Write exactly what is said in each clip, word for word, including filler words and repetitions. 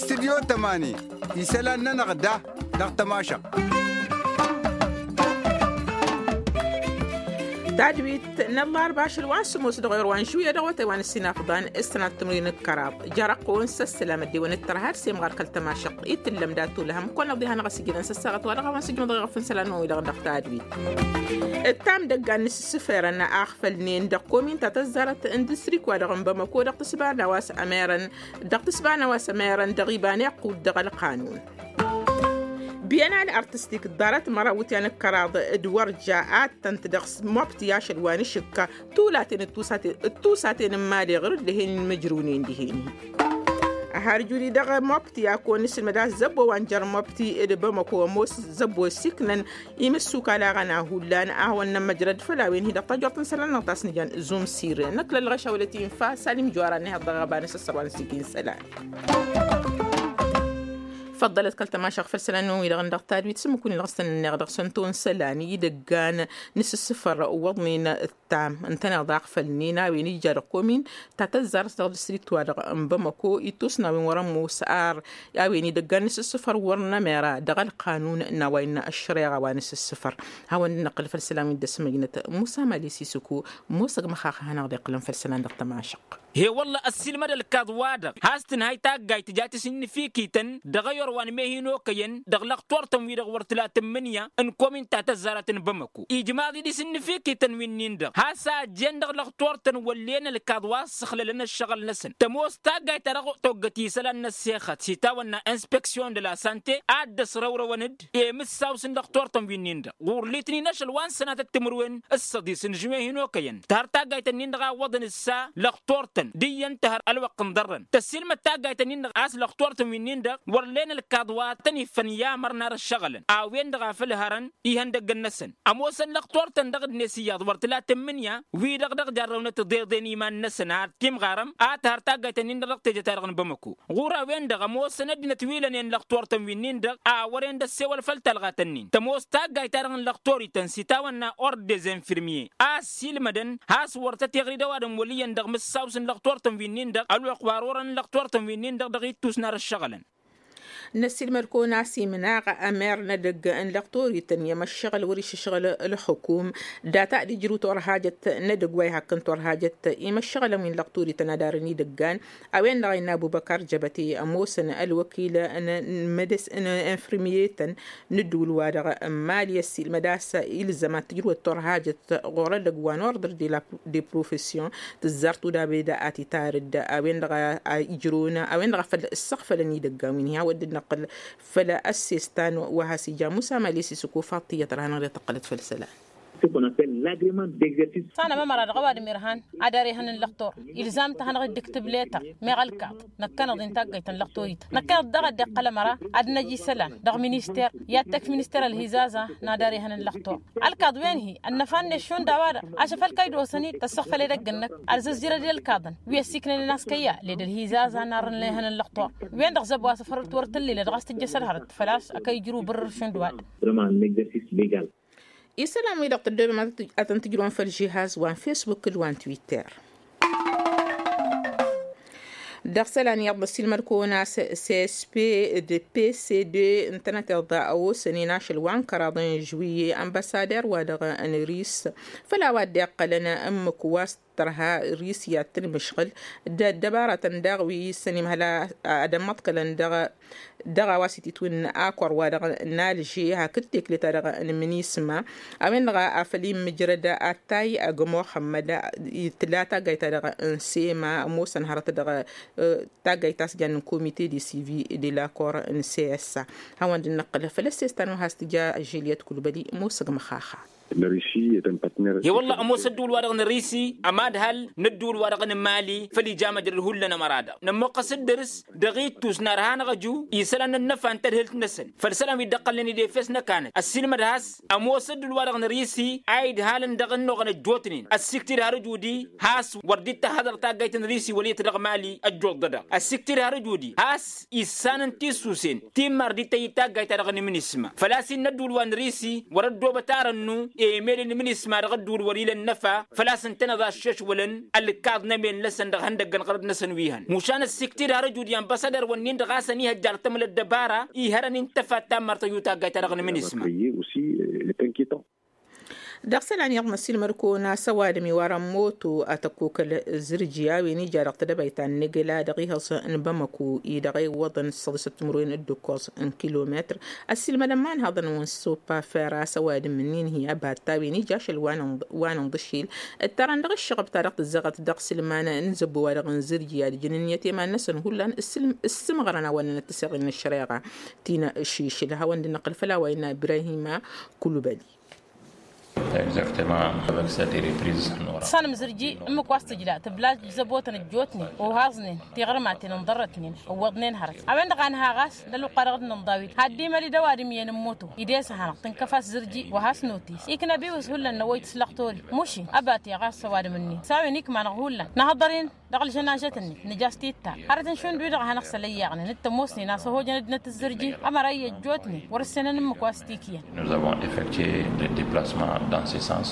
Studyo tămani isălan-nănăɣ da dăɣ-tămašăɣt. Tadwit n-ăllarba ašăl wa n-sǝmos dăɣ-ewăr wa n-žuya dăɣ-wătay wa n-ǝssinafḍan s-tănat timǝrwen d-kăraḍ. Jer-ăqqo n-săssălam ăddewăn d-tărha d-semɣar kăl-tămašăɣt i-tǝllăm dat-tulhăm kăwăn-năɣ diha-năɣ ăsigǝnăn s-ăssaɣăt wa dăɣ-a-wa n-sǝjmăḍ ɣef n-isălan-năwăn-wi-dăɣ dăɣ-tadwit. Ǝttam idăggan n-isǝssǝfărăn a ăɣfălnen dăɣ-komin ta tăzzarăt n-distrik-wa-dăɣ n-bamăko dăɣ-tǝsba n-a-wa s-ămerăn dăɣ-tǝsba n-a-wa s-ămerăn dăɣ-iba n-iqqud dăɣ-ălqanun. Biyănal artistik ḍarăt măraw wǝtyan d-kăraḍ d-wărja ad-tăn-t-dăɣ s-mobti ašăl wa n-ašǝkka tulaten d-tusaten n-mali ɣur-dd dihen n-imǝjrǝwnen dihen-hi. Ăharjuri dăɣ-mobti a kăwăn-nǝsǝlmăd a-s zăbbo wa n-jer-mobti d-bamăko ămoos zăbbo s-iknăn imǝssukal a ɣăna hullan a hawăn-nămmăjrăd făll-a-wen-hi dăɣ-tajort n-isălan-năɣ ta s-nǝjan zumsir năkk lălɣăš a wălăt infa salim juwara n-ehăḍ dăɣ-aɣăba n-asăssăr wa n-sijin isălan. Făḍḍălăt kăl-tămašăɣ făll-isălan-năwăn-wi-dăɣ n-dăɣ-tadwit s-ǝmmǝk-win-dăɣ s-tăn-ǝnneɣ dăɣ-săn tonsălan idăggan n-asǝssǝfăr wăḍnen ǝttam ǝntăneḍ aɣfălnen a-wen ija dăɣ-komin ta tăzzarăt dăɣ-distrikt-wa-dăɣ n-bamăko ittus n-a-wen wăr-ămoos ar a-wen idăggan n-asǝssǝfăr wăr n-emera dăɣ-ălqanun n-a-wa innă ăššăreɣa wa n-asǝssǝfăr. Hawăn-dd-năqqǝl făll-isălan wi dd-ăsmăjnăt musa mali sisǝku. Musăg măxax a hanăɣ-dd-iqqǝlăn făll-isălan dăɣ-tămašăɣt. He-wălla ăssiilmăd ălkaḍ-wa-dăɣ has-tǝnhay taggayt tǝja tisǝnnǝfikităn dăɣ-eyor wa n-mehinokăyăn dăɣ-lăxtor-tăn-wi-dăɣ wăr tǝla tǝmmǝnǝya n-komin ta tăzzarăt n-bamăko ijmaḍ-dd isǝnnǝfikităn winnin-dăɣ has-a ăjjeen dăɣ-lăxtor-tăn wăllen ălkaḍ wa ăssăxlălăn ăššăɣǝl-năsăn tămoos taggayt ta dăɣ-toggăt isălan n-ăssexăt s-itawănna inspeksyon de la sante ad-dd-ăsrăwrăwăn-dd i-imǝssaws n-lăxtor-tăn winnin-dăɣ ɣur-litnin ašăl wa n-sănatăt timǝrwen s-săḍis n-žuwen hin-okăyăn tăhăr taggayt-ǝnnin-dăɣ a ǝwwăḍăn ǝssa lăxtor-tăn d-iyyăn tăhăr ălwăqq n-iḍărrăn tăssiilmăd taggayt-ǝnnin-dăɣ a-s lăxtor-tăn winnin-dăɣ wăr len ălkaḍ wa tăn-iffăn i-amăr n-ar ăššăɣǝlăn a-wen-dăɣ a făl hărăn ihăndăggăn-năsăn ămoosăn lăxtor-tăn dăɣ-dd-net iyyăḍ wăr tǝla tǝmmǝnǝya wi-dăɣ dăɣ-jarrăwnăt tiḍeḍen iman-năsăn ad-timɣarăm ad-tăhăr taggayt-ǝnnin-dăɣ dăɣ-teje-ta-dăɣ n-bamăko ɣur-a-wen-dăɣ ămoosăn ăddinăt wi lănen lăxtor-tăn winnin-dăɣ a wăren d-ăssewăl făll-talɣat-nin tămoos taggayt-ta-dăɣ n-lăxtor-ităn s-itawănna ord des infirmye a ăssiilmădăn has-wăr tăt-iɣrid ăwadǝm wăl' iyyăn dăɣ-imǝssaws n-lăxtor-tăn winnin-dăɣ ălwăqq wa ărorăn n-lăxtor-tăn winnin-dăɣ dăɣ-ittus n-ar ăššăɣǝlăn. Năssiilmăd-kăwăn a-s imnaɣ ămer n-edăgg n-lăxtor-ităn i-măššăɣǝl wăr-išǝšɣǝl ălxukum data d-ijrǝw turhajăt n-edăgg wa ihakk n-turhajăt i-măššăɣǝlăn wi n-lăxtor-ităn ad-arǝn idăggan a-wen-dăɣ a innă abubăkar jăbăte ămoosăn ălwăkil n-infirmye-tăn n-ǝddǝwǝl-wa-dăɣ n-mali ăssiilmăd a-s ilzăm ad-tǝjrǝwăt turhajăt ɣur-edăgg wa n-ordre de profession tǝzzar tudabed ad-t-itarǝd a-wen-dăɣ a ijrǝwăn a-wen-dăɣ a făl ǝssăɣfălăn idăggan wi n-hi-a wăr dd-năqqǝl făll-ăssestan wa has-ija musa mali s-isǝkuf ad-t-iyyăt ărha hanăɣ-dd-tăqqălăt făll-isălan. Sanăm ămăra dăɣ-ăwadǝm irhan ad-ar ihăn n-lăxtor ilzam-t ad-hanăɣ-dd-iktǝb letăr meɣ ălkaḍ năkkăneḍ-i n-taggayt n-lăxtor-ităn năkkăneḍ daɣ ad-dd-iqqăl ămăra ad-năj isălan dăɣ-minister i-ad-tăkf minister ălhizaza n-ad-ar ihăn n-lăxtor ălkaḍ wen-hi ănnăfa-net šund a-wa-dăɣ ašăf ălkăy d-osăn-dd tăssăɣfăl edăgg-năk ad-zăzzirăd i-ălkaḍăn wi ăssiiknănen a-s kăyya led ălhizaza n-arrăn ihăn n-lăxtor wen-dăɣ zăbo a-s ăfărăt wăr tǝllilăd ɣas tǝjjăs ălhărăt făl-a-s ăkăy ijrǝw bǝrrǝr šund wa-dăɣ. Isălan-wi-dăɣ tăddobem ad-tăn-tǝjrǝwăn făll-žihaz wa n-fesbuk d-wa n-twitter. Dăɣ-isălan iyyăḍ ăssiilmăd-kăwăn a-s csp d-pcd ǝntănăteḍ a osănen ašăl wa n-kăraḍ n-žwǝyye ănbăsader-wa-dăɣ n-ris făll-a-wa dd-iqqălăn ǝmmǝk wa s-tărha ris i-ad-tǝnmǝšɣǝl d-ăddăbaratăn daɣ wi s-ănimhăl ad-ămmăḍkălăn dăɣ-a dăɣ-a-wa s-ititwǝnna akor-wa-dăɣ n-alže hakd tekle-ta-dăɣ n-minisma a-wen-dăɣ a făl immǝjrăd attay ăgg muxămmăd tǝla taggayt-ta-dăɣ n-sema ămoosăn hărăt dăɣ-taggayt ta s-jannen komite de sivi de lakor n-sesa. Hawăn-dd-năqqǝl făll-ăssestan wa has-tǝja žiliyăt kulbăli ămoosăg măxaxa. He-wălla ămoos ădduul-wa-dăɣ n-risi ămadhal n-ădduul-wa-dăɣ n-mali făl ija măjrăd hullan ămăra-dăɣ nămmuqqăs-dd dăr-s dăɣ-ittus n-arha n-aɣăju isălan n-ănnăfa n-tadhǝlt-năsăn făll-isălan wi dd-ăqqălnen idefes n-ăkanăt ăssiilmăd has-ămoos ădduul-wa-dăɣ n-risi a idhalăn dăɣ-ănnuɣăn ăjjootnen ăssiikt-dd har ǝjudi has-wăr dd-tăhhăḍăr taggayt n-risi wăl' iyyăt dăɣ-mali ăjjoḍ-dăɣ ăssiikt-dd har ǝjudi has-issan n-tissusen timmar dd-tăyy taggayt-ta-dăɣ n-imnisma făl-a-s innă ădduul wa n-risi wăr-ăddoobăt arănnu. emel n-imǝnisma dăɣ-ădduul wăr-ila ănnăfa făl-a-s ǝntăneḍ a ǝššăšwălăn ălkaḍ n-emel-năsăn dăɣ-ihăndăggăn ɣărăt-năsăn wi hăn mušan ăssiktid har ăjud i-ănbăssadăr-wǝnnin-dăɣ a-s ănihăjja ărtămăl ăddăbara ihărăn intăfat tammărtăj utaggayt-ta-dăɣ n-imǝnisma. Dăɣ-isălan iyyăḍ n-ăssiilmăd-kăwăn a-s ăwadǝm iwarăn moto a tăkkokăl zǝrji a-wen ija dăɣ-tedăbayt ta n-negăla dăɣ-ihăẓ n-bamăko-i dăɣ-e iwwăḍăn s-săḍisăt timǝrwen d-ǝkkoẓ n-kilometăr. Ăssiilmădăn ma n-haḍăn-wăn s-opa fera a-s ăwadǝm-ǝnnin hi-abatta a-wen ija ašăl wa n-inḍǝšil ǝttarăn dăɣ-ǝššăɣăb ta dăɣ-tǝzzăɣăt dăɣ-isǝlman n-zăbbo-wa-dăɣ n-zǝrji ad-ǝjǝn ǝnniyăt i-iman-năsăn hullan. Ǝssǝmɣărăn a-wa ǝnnănăt tǝseɣin n-ăššăreɣa ti n-ašišǝl hawăn-dd-năqqǝl făll-a-wa innă ibrahima kulubăli. Exactement. Avăk s-a terepriz. Tăsanăm zǝrji ǝmmǝk wa s-tǝjla tǝbla zăbotăn ăjjootnen ohaẓnen tiɣărmaten ǝnḍărrătnen ǝwwăḍnen hărăt a-wen-dăɣ a nǝha ɣas d-ălwăqqa dăɣ-dd-nǝnḍa wi. Had-imăli d-ăwadǝm iyyăn n-moto ides-ahănăɣ tǝnkăf-as zǝrji wa has-notis iknăb iwǝs hullan n-ăwwăy tǝslăɣ tori mušin ăbate ɣas ăwadǝm-ǝnnin s-a-wen ikmanăɣ hullan nǝhăḍăr-in. Dăɣ-ălžănažăt-net nǝj'-as titta hărăt n-šund wi-dăɣ a hanăɣ-sălăyyăɣnen d-tămoosnen a-s ăhojăn ăddinăt ǝzzărji ămăra iyyă ăjjootnen wăr-ǝssenăn ǝmmǝk wa s-t-ikyăn. Nous avons effectué des déplacements dans ce sens.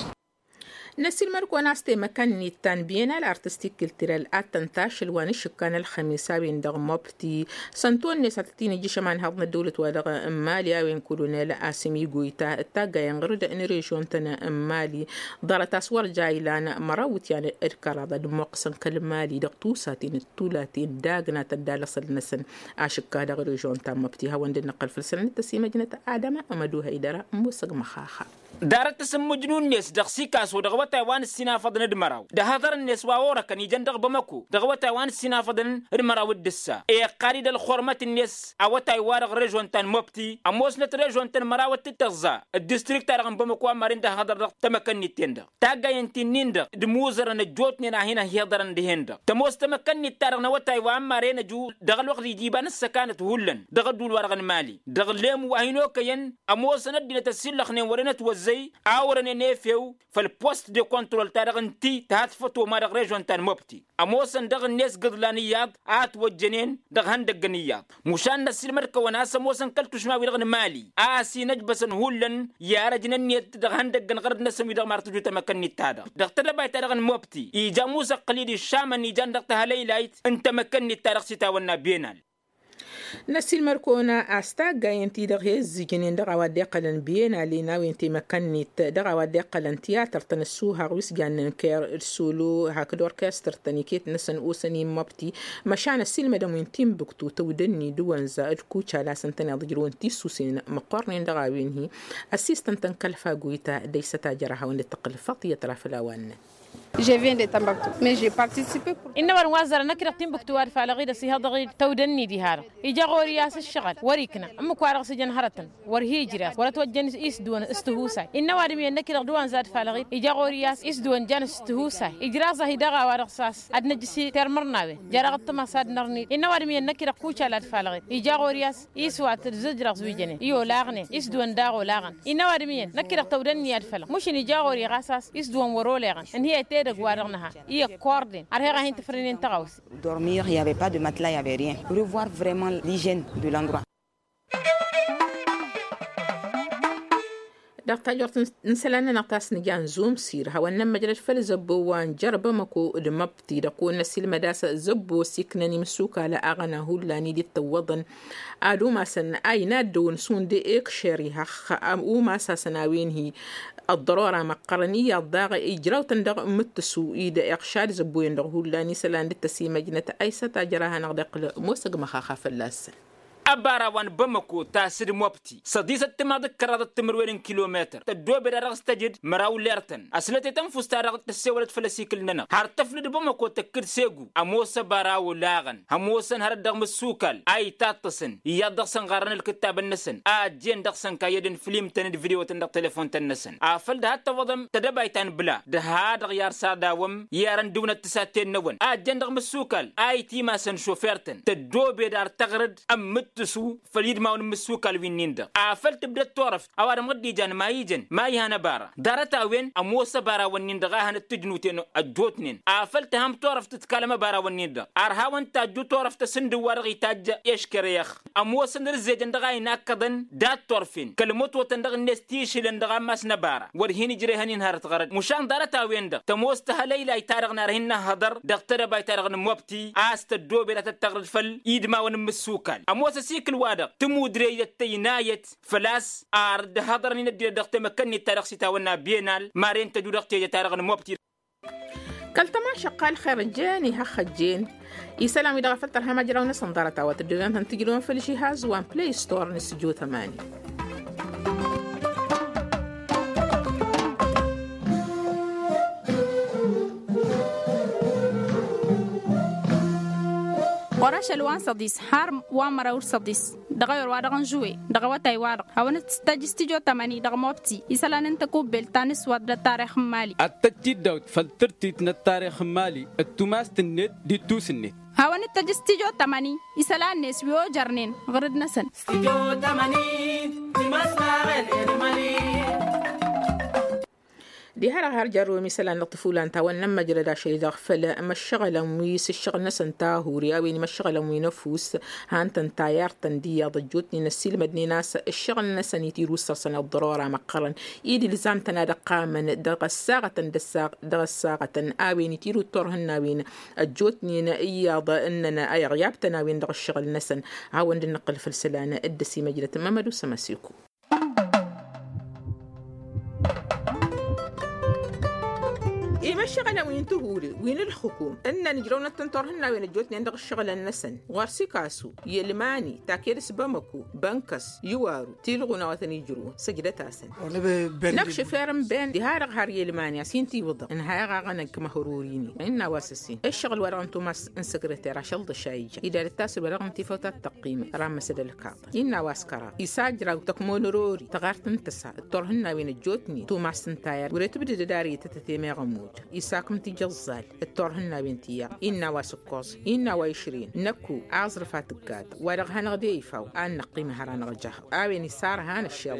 Năsilmăd-kăwăn a-s temăkăn-net ta n-bienal artistik kiltiral ad-tăn-tašăl wa n-ašǝkka n-ălxămis a-wen-dăɣ mobti s-ănto-net a tăt-in-ǝjjǝšăm anhăḍ n-ăddăwlăt-wa-dăɣ n-mali a-wen kolonel asǝm igoyta d-taggayăn ɣur-dd n-režion-tăn n-mali. Ḍarăt a-s wăr ja ilan măraw iwǝtyan d-kăraḍ ad-ămmoqqăsăn kăl-mali dăɣ-tusaten d-tulaten d-agnatăn d-alăṣăl-năsăn. Ašǝkka dăɣ-režion ta n-mobti hawăn-dd-năqqăl făll-săn ad-nǝttăs imăjnăt adăma ămădu hăydăra n-musăg măxaxa. Ḍarăt tasǝmmǝjnu-net dăɣ-sikaso dăɣ-awătay wa n-ǝssinafăḍăn d-măraw d-ahăḍăr-net wa orăkăn ijăn dăɣ-bamăko dăɣ-awătay wa n-ǝssinafăḍăn d-măraw d-ǝssa iqqad-dd ălxurmăt-net. Awătay-wa-dăɣ režon ta n-mobti ămoosnăt režon ta n-măraw d-tǝttăẓẓa d-distrikt-ta-dăɣ n-bamăko ămmarăn d-ahăḍăr dăɣ-tamăkănnit-ten-dăɣ taggayăn ti-nin-dăɣ d-imuzărăn ăjjootnen a hin-ăhiḍărăn dihen-dăɣ tămoos tamăkănnit-ta-dăɣ n-awătay wa ămmarăn ăju dăɣ-ălwăqq d-ija iba n-ăssăkanăt hullan dăɣ-ădduul-wa-dăɣ n-mali dăɣ-lemu wa hin-okăyăn. Ămoosăn ăddinăt ăsillăxnen wăren ătwăzzăy a orănen efew făll-post de kontrol-ta-dăɣ ǝnti tăhat făto ma dăɣ-režon ta n-mobti ămoosăn dăɣ-net gǝḍlan iyyăḍ a ătwăjjănen dăɣ-ihăndăggăn iyyăḍ. Mušan năssiilmăd-kăwăn a-s ămoosăn kăl-tušma-wi-dăɣ n-mali a ăsinăjbăsăn hullan i-arăj n-ǝnniyăt dăɣ-ihăndăggăn ɣărăt-năsăn wi-dăɣ mar tǝju tamăkănnit-ta-dăɣ dăɣ-tedăbayt-ta-dăɣ n-mobti ija musăqqǝl-i d-išamăn ijan dăɣ-tahălăylayt n-tamăkănnit-ta-dăɣ s-itawănna benal. Năsiilmăd-kăwăn a-s taggayăn-ti-dăɣ he-ǝzzǝjnen dăɣ-a-wa dd-iqqălăn benalin a-wen temăkănnit dăɣ-a-wa dd-iqqălăn tiyatăr-tăn ăssuhăɣ wi s-jannen ker d-solo hakd orkestăr-tăn iket-năsăn osăn-in măbti. Măšan ăssiilmădăn wi n-timbuktu tăwdănni d-wănza d-kucal a-s ǝntăneḍ ǝjrǝwăn tissusen măqqornen dăɣ-a-wen hi-ăssistăn-tăn kăl-fagoyta d-ăysăt a jăra hawăn-dd-tăqqǝl faḍiyăt ra făll-a-wa ǝnnăn. Je viens de Tambactou mais je participe. Innă ăwadǝm wa ăzzarăn năkk-i-dăɣ timbuktu wa d-falăɣ-dd ăsihăḍăɣ-dd tăwdănni diha-dăɣ ija ɣur-i a-s ǝššăɣǝl wăr-ikna ǝmmǝk-wa-dăɣ s-ijăn hărătăn wăr hi-ijrăẓ wăr-ătwăjjăn isdǝwăn s-tihusay. Innă ăwadǝm iyyăn năkk-i-dăɣ d-uwăn zad falăɣ-dd ija ɣur-i a-s isdǝwăn jan s-tihusay ijraẓ-ahi daɣ a-wa-dăɣ s-a-s ad-năjjǝs i-termărnawen jer-aɣ ǝṭṭǝmăs ad-nărnid. Innă ăwadǝm iyyăn năkk-i-dăɣ kucal ad-falăɣ-dd ija ɣur-i a-s iswat d-izǝjrăẓ wi jănen i-olaɣnen isdǝwăn daɣ olaɣăn. Innă ăwadǝm iyyăn năkk-i-dăɣ tăwdănni ad-fălăɣ mušǝn ija ɣur-i ɣas a-s isdǝwăn wăr-oleɣăn. Ǝnhǝyăt edăgg-wa-dăɣ nǝha i-ăkkordăn ărheɣ-ahi n-tǝfrǝnen tăɣawse. Dormir il y avait pas de matela il y avait rien revoir vraiment l'hygiène de l'endroit. Dăɣ-tajort n-isălan-nănăɣ ta s-nǝja n-zumsir hawăn-nămmăjrăd făll-zăbbo wa n-jăr bamăko d-măbti dăɣ-kăwăn-năsilmăd a-s zăbbo s-iknăn imǝssukal aɣăna hullan i-dd-tǝwwăḍăn. Ad-umasăn a inaddăwăn šund ekšer ihăxx umas-asăn a-wen hi-ăḍḍărora măqqărăn iyyăḍ daɣ ijraw-tăn dăɣ-imǝttǝsu-i d-iɣšad zăbbo-en-dăɣ hullan isălan dd-tăsimăjnăt a isăt a jăr-a hanăɣ-dd-iqqǝl. Mosăg măxaxa fălla-săn. Ăbara wa n-bamăko tas-dd mobti săḍisăt timaḍ d-kăraḍăt timǝrwen n-kilometăr tăddoobed-a-dăɣ s-tăjǝd măraw lertăn ăslăt i-tănfust-ta-dăɣ tăssewălăt făll-asikǝl-nănăɣ har tăfnǝd bamăko tăkk-dd segu. Ămoos ăbara olaɣăn ămoosăn hărăt dăɣ-imǝssukal a itaṭṭăsăn iyyăḍ dăɣ-săn ɣarrăn ǝlkǝttabăn-năsăn a ăjjeen dăɣ-săn kayyădăn flim-tăn d-video-tăn dăɣ-telefon-tăn-năsăn afăl dăɣ-ad-tăwwăḍăm tedăbayt ta n-bla dăɣ-ha-dăɣ i-arsăr dawăm i-arăn dăw-năt tǝsatten-năwăn a ăjjeen dăɣ-imǝssukal a itimasăn šofer-tăn tăddoobed ar tăɣrǝd ămmǝt. tǝsu făll-idmawăn n-imǝssukal wi-nin-dăɣ. Afăl tǝbdăd turăft a-wa dăɣ-măddijan ma ijăn ma ihan ăbara ḍarăt-a-wen ămoos ăbarawăn-nin-dăɣ a hanăt-tǝjnuten ăjjootnen. Afăl tǝhăm turăft tǝtkalăm ăbarawăn-nin-dăɣ ar hawăn-tajju turăft asǝndǝw wa dăɣ-itajj eškerex. Ămoosăn ărzejăn dăɣ-a inakkăḍăn dat-turfen kăl-mătotăn dăɣ-net tišǝlăn dăɣ-ammas n-ăbara wăr hin-ǝjrehăn-in hărăt ɣărăt mušan ḍarăt-a-wen-dăɣ tămoos tăhălăylayt-ta-dăɣ n-ar hin-năhhăḍăr dăɣ-tedăbayt-ta-dăɣ n-mobti a-s tăddoobed ad-tăt-tăɣrǝd făll-idmawăn n-imǝssukal. Ămoos ăsikǝl-wa-dăɣ tǝmudrejăt tăynayăt făl-a-s ar dd-hăḍărăn-in ăddinăt dăɣ-temăkănnit-ta-dăɣ s-itawănna benal maren tăju dăɣ-tejăt-ta-dăɣ n-mobti. Kăl-tămaša ăqqal xer ăjjeen ihăxxăjjeen isălan-wi-dăɣ a făl tărhăm ajraw-năsăn ḍarăt a-wa tăddoben ad-tăn-tǝjrǝwăn făll-žihaz wa n-play store n-s jotămani. Ɣur-ašăl wa n-săḍis har wa n-măraw d-săḍis dăɣ-ewăr-wa-dăɣ n-žuwe dăɣ-awătay-wa-dăɣ hawăn-dd-tăjj s-tijotămăn-i dăɣ-mobti isălan n-tăkubbelt ta n-ǝswat d-ăttarix n-imali. Ad-tăjj tidawt făll-tǝrtit n-ăttarix n-imali d-tumast-net d-ittus-net. Hawăn-dd-tăjj s-tijotămăn-i isălan-net wi ojărnen ɣǝrǝd-năsăn. Diha-dăɣ har jărrǝwăm isălan dăɣ-tǝfulan ta wănnăn măjrăd ašăl-i-dăɣ făll-măššăɣălăn wi s-ǝššăɣǝl-năsăn tahuri a-wen imăššăɣălăn wi n-ăfuss. Han-tăn tayart-tăn d-iyyăḍ ăjjootnen ăssiilmădnen a-s ǝššăɣǝl-năsăn itiru s-săr-săn ăḍḍărora măqqărăn. Id-ilzam-tăn ad-ăqqamăn dăɣ-ăssaɣătăn dăɣ-ăssaɣătăn a-wen itiru d-turhǝnnawen ăjjootnen iyyăḍ ǝnnăn a iɣyab-tăn a-wen dăɣ-ǝššăɣǝl-năsăn. Hawăn-dd-nǝqqǝl făll-isălan dd-ăsimăjrăt mămădu s-ămăsiku. Imăššăɣălăn wi n-tihuri wi n-ǝlxǝkum ǝnnăn ǝjrăwnăt-tăn turhǝnnawen ăjjootnen dăɣ-ǝššăɣǝlăn-năsăn ɣur-sikasu i-ălmani taked s-bamăku bănkăs iwaru tilɣun a-wa tăn-ijrǝwăn săjdăt-asăn. Năkšǝf erǝnben diha-dăɣ har i-ălmani a-s hin-tiwǝḍăɣ ǝnhayăɣ aɣănăn kămăhărori-nin innă a-wa s-ăsin ǝššăɣǝl-wa-dăɣ n-tumas n-săkrăter ašăl ḍăš a ija idad-dd tasǝba dăɣ-ǝnta ifăw ta t-tăqqimăt ramăsăd ălkaḍ. Innă a-wa s-kăraḍ isajraw tăkmonărori tăɣart n-tăsa d-turhǝnnawen ăjjootnen tumas n-tayăr wăr-e tǝbdǝdăd ar itătăt i-meɣ ămuj isakǝm tijăẓẓal d-turhǝnnawen tiyyăɣ. Innă a-wa s-ǝkkoẓ innă a-wa išrin năkku aẓrǝf a tǝggaḍ wa dăɣ-hanăɣ-de ifaw a n-năqqim hăr-anăɣ jăhăɣ a-wen isarhan ăššeḍ.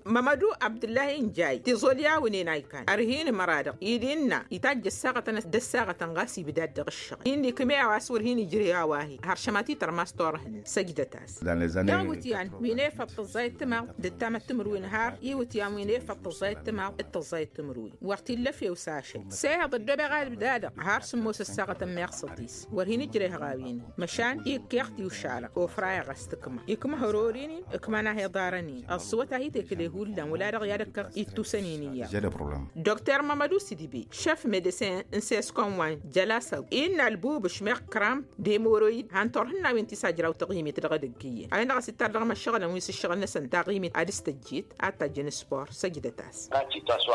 Mămădu abdǝllahi n-jay tiẓol i-awǝnen a ikan ărhin măra-dăɣ id-innă itajj ăssaɣătăn d-ăssaɣătăn ɣas ibdad dăɣ-ǝššăɣ. Inn'-ikm'-e a-wa s-wăr hin-ijrǝy a-wa hi-hăr šămatităr ma s-turhǝn săjdăt-as. Dăɣ-iwǝtyan wi n-efăḍ tǝẓẓayăt timăḍt d-ǝttamăt timǝrwen har iwǝtyan wi n-efăḍ tǝẓẓayăt timăḍt d-tǝẓẓayăt timǝrwen wăr t-illa efew s-ašăl s-ehăḍ ăddobeɣ a dd-ibdadăɣ har sǝmmos ăssaɣătăn meɣ săḍis. Wăr hin-ǝjrehăɣ a-wen măšan ikkeɣ tiwšalăɣ ofrayăɣ a-s tǝkma ikmăhăror-in-in ǝkman a he-iḍarăn-in ăẓẓǝwăt a hi-tekǝle hullan wăla-dăɣ i-ad-ăkkăɣ ittusăn-in iyyăḍ. Dr mămădu s-idǝbe šef medesin n-seskom wa n-jălasăw innă ălbubǝš meɣ kram d-emoroyid han turhǝnnawen ti s-ajraw taɣimet dăɣ-edăgg iyyăn a-wen-dăɣ a-s ittar dăɣ-imăššăɣǝlăn wi s-ǝššăɣǝl-năsăn taɣimet ad-dd-tăjjit ad-tajjăn spor săjdăt-as.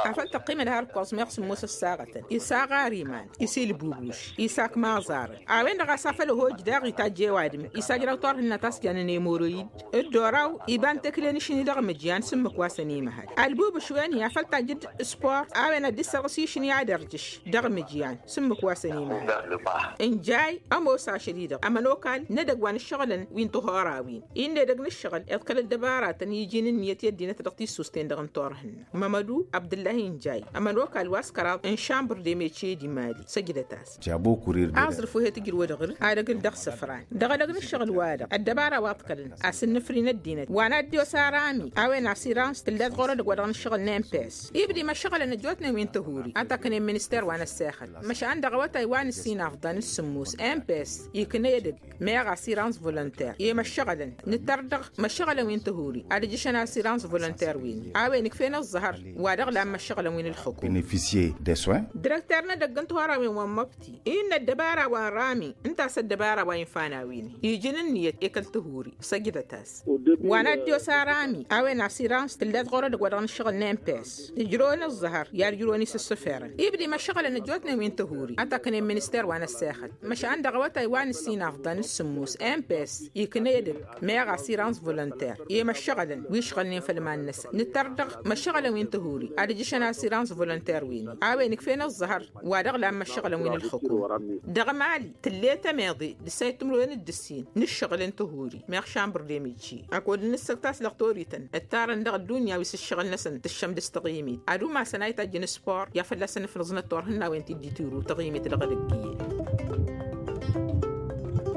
Afăl tăqqimăd har ǝkkoẓ meɣ sǝmmos ăssaɣătăn isaɣar iman isilbubuš isakmaẓarăn a-wen-dăɣ a-s afăl ăhoj daɣ itajj i-ăwadǝm isajraw turhǝnna ta s-jannen emoroyid d-oraw iba n-tekle n-ašni dăɣ-imǝjyan s-ǝmmǝk wa s-ănimăhăl. Ălbubuš wen-i afăl tajj d-spor a-wen ad-dd-issărɣǝs išni ad-ărjǝš dăɣ-imǝjyan s-ǝmmǝk wa s-ănimăhăl. N-jay ămoos ašăl-i-dăɣ ămănokal n-edăgg wa n-ǝššăɣǝlăn wi n-tihorawin innă edăgg n-ǝššăɣǝl iḍkăl ăddăbaratăn iji n-ǝnniyăt i-ăddinăt dăɣ-tissust-en-dăɣ n-turhǝnna. Mămădu abdǝllahi n-jay ămănokal wa s-kăraḍ n-šambăr d-emece d-imali săjdăt-as. Aẓrǝf wi he-tǝjrǝwăd ɣǝr-dd ad-ăgg-dd-ăɣsǝfran dăɣ-edăgg n-ǝššăɣǝl-wa-dăɣ ăddăbara wa ǝḍkălăn asǝnnǝfri n-ăddinăt wa n-ad-dd-iwăs arami a-wen asirans tǝllăt ɣur-edăgg wa dăɣ-nǝššăɣǝl n-emp s ibda imăššăɣǝlăn ăjjootnen wi n-tihuri ad-t-ăknen minister wa n-ăssexăl. Măšan dăɣ-awătay wa n-ǝssin afḍăn d-sǝmmos emp s ikna edăgg meɣ asirans volonter i-măššăɣǝlăn nǝttăr dăɣ-măššăɣǝlăn wi n-tihuri ad-ǝjjǝšăn asirans volonter-win a-wen ǝkf'-en ăẓẓăhăr wa dăɣ-lan măššăɣǝlăn wi n-ǝlxǝkum. Direkter n-edăgg n-tihorawen wa n-măbti innă ăddăbara wa n-rami ǝnta a-s ăddăbara wa infan a-wen iji n-ǝnniyăt i-kăl tihuri săjdăt-as. Wa n-ad-dd-iwăs arami a-wen asirans tǝllăt ɣur-edăgg wa dăɣ-nǝššăɣǝl n-emp s tǝjrăwăn ăẓẓăhăr i-ad-ǝjrăwăn isǝssǝferăn ibda imăššăɣǝlăn ăjjootnen wi n-tihuri ad-t-ăknen minister wa n-ăssexăt. Măšan dăɣ-awătay wa n-ǝssin afḍăn d-sǝmmos emp s ikna edăgg meɣ asirans volonter i-măššăɣǝlăn wi ǝšɣălnen făll-iman-năsăn nǝttăr dăɣ-măššăɣǝlăn wi n-tihuri ad-ǝjjǝšăn asirans volonter-win-i a-wen Inǝkf'-en ăẓẓăhăr wa dăɣ-lammă ǝššăɣǝlăn wi n-ǝlxǝkum. Dăɣ-mali tǝll'-e temeḍe d-ǝssayăt timǝrwen d-ǝssin n-ǝššăɣǝl n-tihuri meɣ šambăr d-emijji. Ad-kăwăd-nǝssăk taslăɣ torităn ǝttarăn dăɣ-ăddunya wi s-ǝššăɣǝl-năsăn tǝššăm dăɣ-s taɣimit ad-umasăn a itajjăn s-port i-ad-fălla-săn ǝfnǝẓnăt turhǝnnawen ti dd-itiru taɣimit dăɣ-edăgg iyyăn.